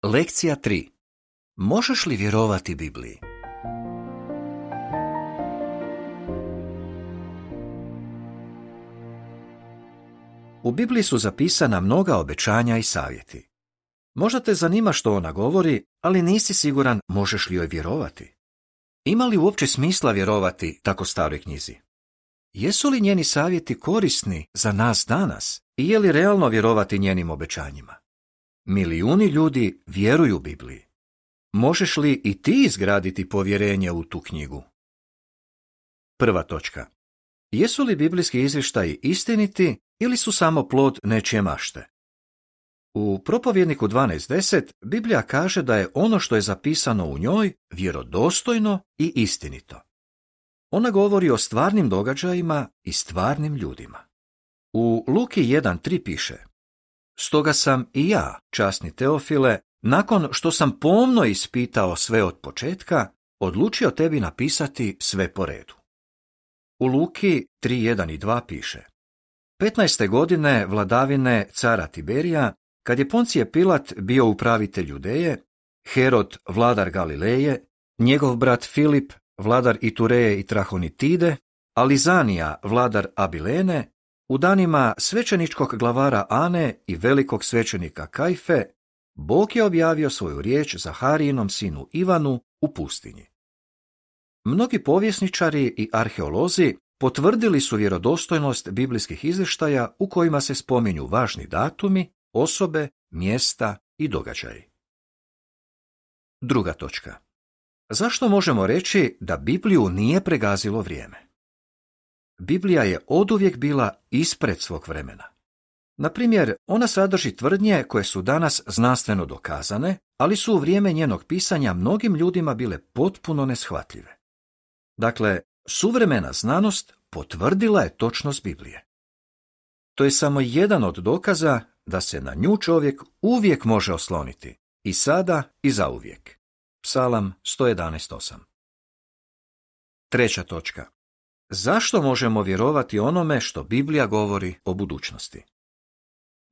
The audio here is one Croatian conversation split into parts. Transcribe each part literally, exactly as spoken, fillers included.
Lekcija tri. Možeš li vjerovati Bibliji? U Bibliji su zapisana mnoga obećanja i savjeti. Možda te zanima što ona govori, ali nisi siguran možeš li joj vjerovati. Ima li uopće smisla vjerovati tako staroj knjizi? Jesu li njeni savjeti korisni za nas danas i je li realno vjerovati njenim obećanjima? Milijuni ljudi vjeruju Bibliji. Možeš li i ti izgraditi povjerenje u tu knjigu? Prva točka. Jesu li biblijski izvještaji istiniti ili su samo plod nečije mašte? U Propovjedniku dvanaest deset Biblija kaže da je ono što je zapisano u njoj vjerodostojno i istinito. Ona govori o stvarnim događajima i stvarnim ljudima. U Luki jedan tri piše: Stoga sam i ja, časni Teofile, nakon što sam pomno ispitao sve od početka, odlučio tebi napisati sve po redu. U Luki tri jedan i dva piše: petnaeste godine vladavine cara Tiberija, kad je Poncije Pilat bio upravitelj Judeje, Herod vladar Galileje, njegov brat Filip vladar Itureje i Trahonitide, a Lizanija vladar Abilene, u danima svećeničkog glavara Ane i velikog svećenika Kajfe, Bog je objavio svoju riječ Zaharijinom sinu Ivanu u pustinji. Mnogi povjesničari i arheolozi potvrdili su vjerodostojnost biblijskih izvještaja u kojima se spominju važni datumi, osobe, mjesta i događaji. Druga točka. Zašto možemo reći da Bibliju nije pregazilo vrijeme? Biblija je oduvijek bila ispred svog vremena. Na primjer, ona sadrži tvrdnje koje su danas znanstveno dokazane, ali su u vrijeme njenog pisanja mnogim ljudima bile potpuno neshvatljive. Dakle, suvremena znanost potvrdila je točnost Biblije. To je samo jedan od dokaza da se na nju čovjek uvijek može osloniti, i sada i zauvijek. Psalam sto jedanaest osam. Treća točka. Zašto možemo vjerovati onome što Biblija govori o budućnosti?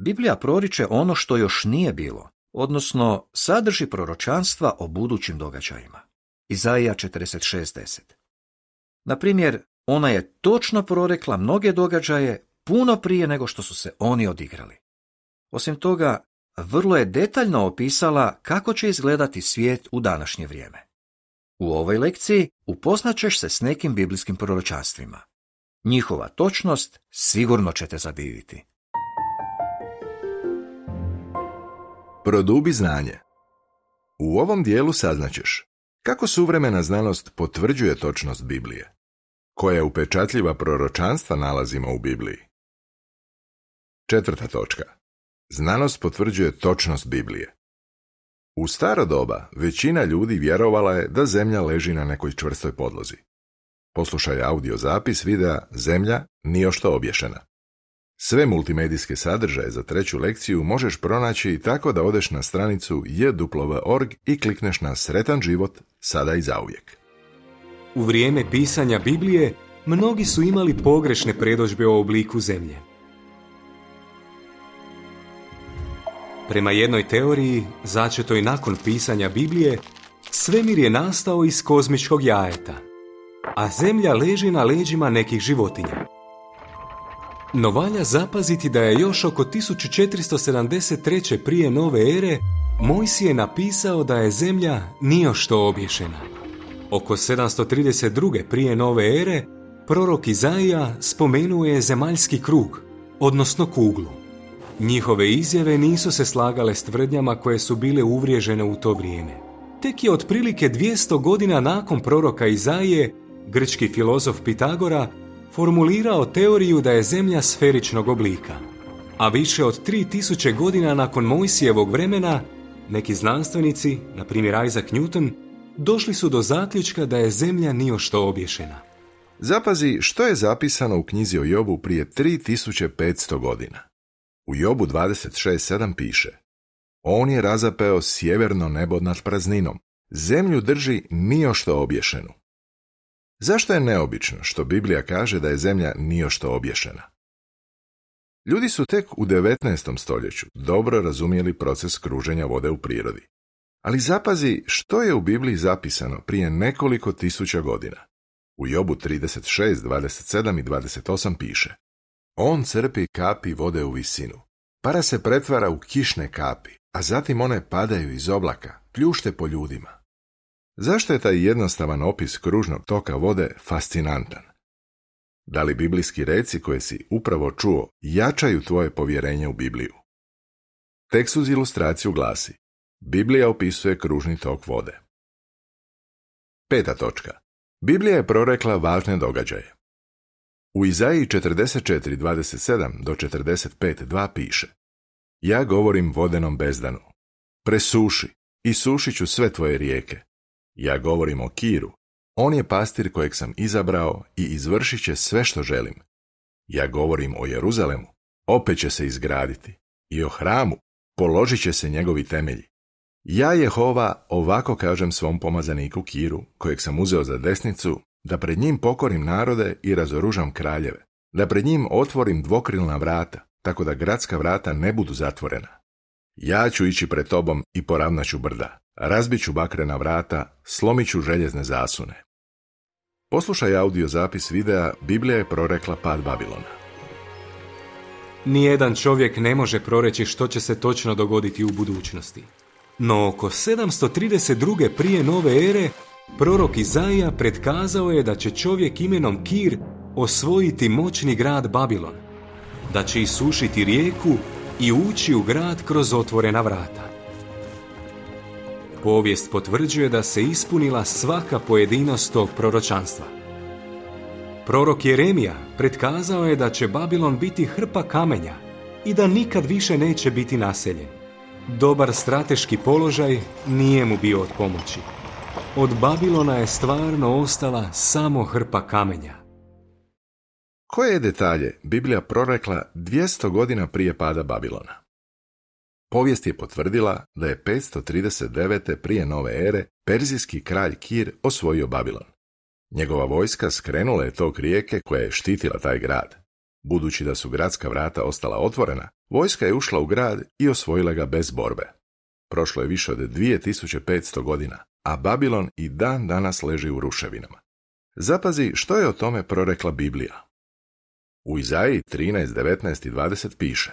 Biblija proriče ono što još nije bilo, odnosno sadrži proročanstva o budućim događajima. Izaija četrdeset šest deset. Na primjer, ona je točno prorekla mnoge događaje puno prije nego što su se oni odigrali. Osim toga, vrlo je detaljno opisala kako će izgledati svijet u današnje vrijeme. U ovoj lekciji upoznaćeš se s nekim biblijskim proročanstvima. Njihova točnost sigurno će te zadiviti. Produbi znanje. U ovom dijelu saznaćeš kako suvremena znanost potvrđuje točnost Biblije, koja upečatljiva proročanstva nalazimo u Bibliji. Četvrta točka. Znanost potvrđuje točnost Biblije. U staro doba većina ljudi vjerovala je da zemlja leži na nekoj čvrstoj podlozi. Poslušaj audio zapis videa Zemlja nijošto obješena. Sve multimedijske sadržaje za treću lekciju možeš pronaći tako da odeš na stranicu j w w dot org i klikneš na Sretan život sada i zauvijek. U vrijeme pisanja Biblije mnogi su imali pogrešne predodžbe o obliku zemlje. Prema jednoj teoriji, začetoj nakon pisanja Biblije, svemir je nastao iz kozmičkog jajeta, a zemlja leži na leđima nekih životinja. No valja zapaziti da je još oko tisuću četiristo sedamdeset treće prije nove ere Mojsije napisao da je zemlja nijošto obješena. Oko sedamsto trideset druge prije nove ere prorok Izaija spomenuo je zemaljski krug, odnosno kuglu. Njihove izjave nisu se slagale s tvrdnjama koje su bile uvriježene u to vrijeme. Tek je otprilike dvjesto godina nakon proroka Izaije, grčki filozof Pitagora formulirao teoriju da je zemlja sferičnog oblika. A više od tri tisuće godina nakon Mojsijevog vremena, neki znanstvenici, na primjer Isaac Newton, došli su do zaključka da je zemlja nijošto obješena. Zapazi što je zapisano u knjizi o Jobu prije tri tisuće petsto godina. U Jobu dvadeset šest sedam piše: On je razapeo sjeverno nebo nad prazninom, zemlju drži nijošto obješenu. Zašto je neobično što Biblija kaže da je zemlja nijošto obješena? Ljudi su tek u devetnaestom stoljeću dobro razumjeli proces kruženja vode u prirodi. Ali zapazi što je u Bibliji zapisano prije nekoliko tisuća godina. U Jobu trideset šest, dvadeset sedam i dvadeset osam piše: On crpi kapi vode u visinu. Para se pretvara u kišne kapi, a zatim one padaju iz oblaka, pljušte po ljudima. Zašto je taj jednostavan opis kružnog toka vode fascinantan? Da li biblijski reci koje si upravo čuo jačaju tvoje povjerenje u Bibliju? Tekst uz ilustraciju glasi: Biblija opisuje kružni tok vode. Peta točka. Biblija je prorekla važne događaje. U Izaiji četrdeset četiri, dvadeset sedam do četrdeset pet, dva piše: Ja govorim vodenom bezdanu. Presuši i sušit ću sve tvoje rijeke. Ja govorim o Kiru. On je pastir kojeg sam izabrao i izvršit će sve što želim. Ja govorim o Jeruzalemu. Opet će se izgraditi. I o hramu. Položit će se njegovi temelji. Ja, Jehova, ovako kažem svom pomazaniku Kiru, kojeg sam uzeo za desnicu, da pred njim pokorim narode i razoružam kraljeve, da pred njim otvorim dvokrilna vrata, tako da gradska vrata ne budu zatvorena. Ja ću ići pred tobom i poravnat ću brda, razbit ću bakrena vrata, slomit ću željezne zasune. Poslušaj audio zapis videa Biblija je prorekla pad Babilona. Nijedan čovjek ne može proreći što će se točno dogoditi u budućnosti. No oko sedamsto trideset druge prije nove ere, prorok Izaija predkazao je da će čovjek imenom Kir osvojiti moćni grad Babilon, da će isušiti rijeku i ući u grad kroz otvorena vrata. Povijest potvrđuje da se ispunila svaka pojedinost tog proročanstva. Prorok Jeremija predkazao je da će Babilon biti hrpa kamenja i da nikad više neće biti naseljen. Dobar strateški položaj nije mu bio od pomoći. Od Babilona je stvarno ostala samo hrpa kamenja. Koje detalje Biblija prorekla dvjesto godina prije pada Babilona? Povijest je potvrdila da je petsto trideset devete prije nove ere perzijski kralj Kir osvojio Babilon. Njegova vojska skrenula je tok rijeke koja je štitila taj grad. Budući da su gradska vrata ostala otvorena, vojska je ušla u grad i osvojila ga bez borbe. Prošlo je više od dvije tisuće petsto godina, a Babilon i dan danas leži u ruševinama. Zapazi što je o tome prorekla Biblija. U Izaiji trinaest, devetnaest i dvadeset piše: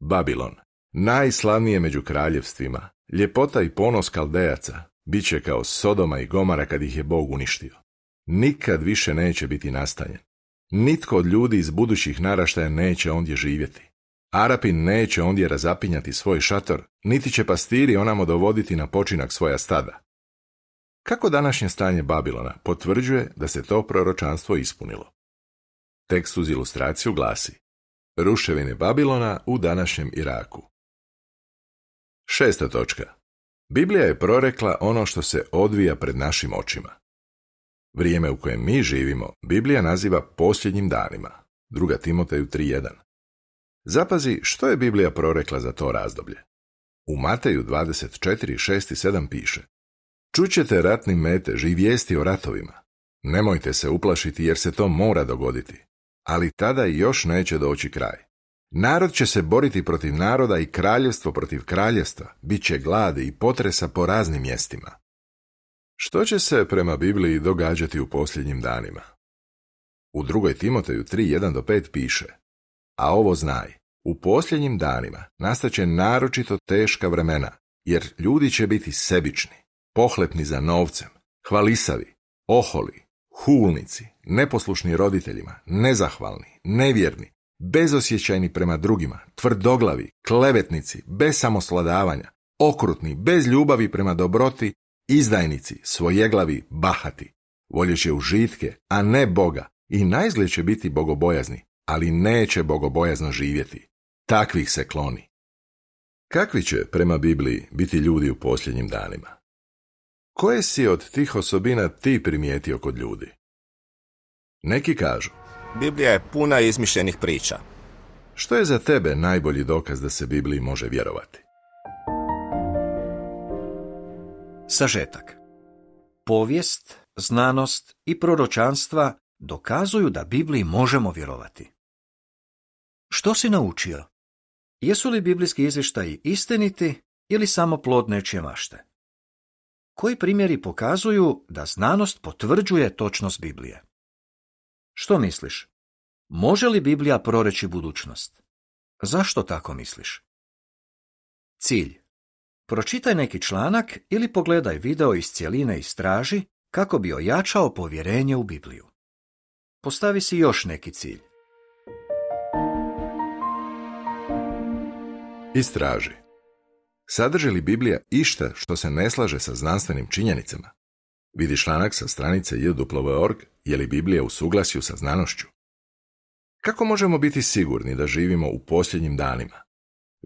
Babilon, najslavnije među kraljevstvima, ljepota i ponos Kaldejaca, bit će kao Sodoma i Gomara kad ih je Bog uništio. Nikad više neće biti nastanjen. Nitko od ljudi iz budućih naraštaja neće ondje živjeti. Arapi neće ondje razapinjati svoj šator, niti će pastiri onamo dovoditi na počinak svoja stada. Kako današnje stanje Babilona potvrđuje da se to proročanstvo ispunilo? Tekst uz ilustraciju glasi: Ruševine Babilona u današnjem Iraku. Šesta točka. Biblija je prorekla ono što se odvija pred našim očima. Vrijeme u kojem mi živimo Biblija naziva posljednjim danima. Druga Timoteju tri jedan. Zapazi što je Biblija prorekla za to razdoblje. U Mateju dvadeset četiri, šest i sedam piše: Čućete ratni metež i vijesti o ratovima. Nemojte se uplašiti jer se to mora dogoditi, ali tada još neće doći kraj. Narod će se boriti protiv naroda i kraljevstvo protiv kraljevstva, bit će gladi i potresa po raznim mjestima. Što će se prema Bibliji događati u posljednjim danima? U drugoj Timoteju tri jedan do pet piše: A ovo znaj, u posljednjim danima nastaće naročito teška vremena, jer ljudi će biti sebični, pohlepni za novcem, hvalisavi, oholi, hulnici, neposlušni roditeljima, nezahvalni, nevjerni, bezosjećajni prema drugima, tvrdoglavi, klevetnici, bez samosladavanja, okrutni, bez ljubavi prema dobroti, izdajnici, svojeglavi, bahati, voljeće užitke, a ne Boga, i naizgled će biti bogobojazni, ali neće bogobojazno živjeti. Takvih se kloni. Kakvi će, prema Bibliji, biti ljudi u posljednjim danima? Koje si od tih osobina ti primijetio kod ljudi? Neki kažu: Biblija je puna izmišljenih priča. Što je za tebe najbolji dokaz da se Bibliji može vjerovati? Sažetak. Povijest, znanost i proročanstva dokazuju da Bibliji možemo vjerovati. Što si naučio? Jesu li biblijski izvještaji istiniti ili samo plod nečije mašte? Koji primjeri pokazuju da znanost potvrđuje točnost Biblije? Što misliš? Može li Biblija proreći budućnost? Zašto tako misliš? Cilj. Pročitaj neki članak ili pogledaj video iz cjeline i istraži kako bi ojačao povjerenje u Bibliju. Postavi si još neki cilj. Istraži. Sadrži li Biblija išta što se ne slaže sa znanstvenim činjenicama? Vidi članak sa stranice j w w w dot org je li Biblija u suglasju sa znanošću. Kako možemo biti sigurni da živimo u posljednjim danima?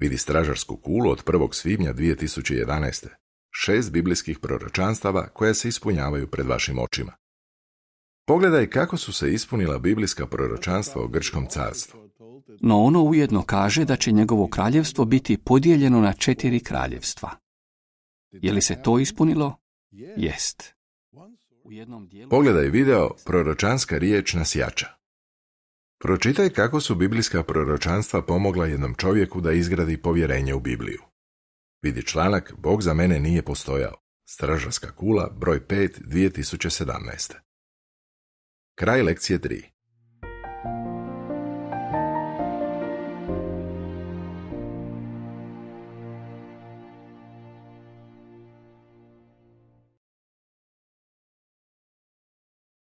Vidi stražarsku kulu od prvog svibnja dvije tisuće jedanaeste. Šest biblijskih proročanstava koja se ispunjavaju pred vašim očima. Pogledaj kako su se ispunila biblijska proročanstva o grčkom carstvu. No ono ujedno kaže da će njegovo kraljevstvo biti podijeljeno na četiri kraljevstva. Je li se to ispunilo? Jest. U jednom dijelu... Pogledaj video Proročanska riječ nas jača. Pročitaj kako su biblijska proročanstva pomogla jednom čovjeku da izgradi povjerenje u Bibliju. Vidi članak Bog za mene nije postojao. Stražarska kula, broj pet, dvije tisuće sedamnaeste. Kraj lekcije tri.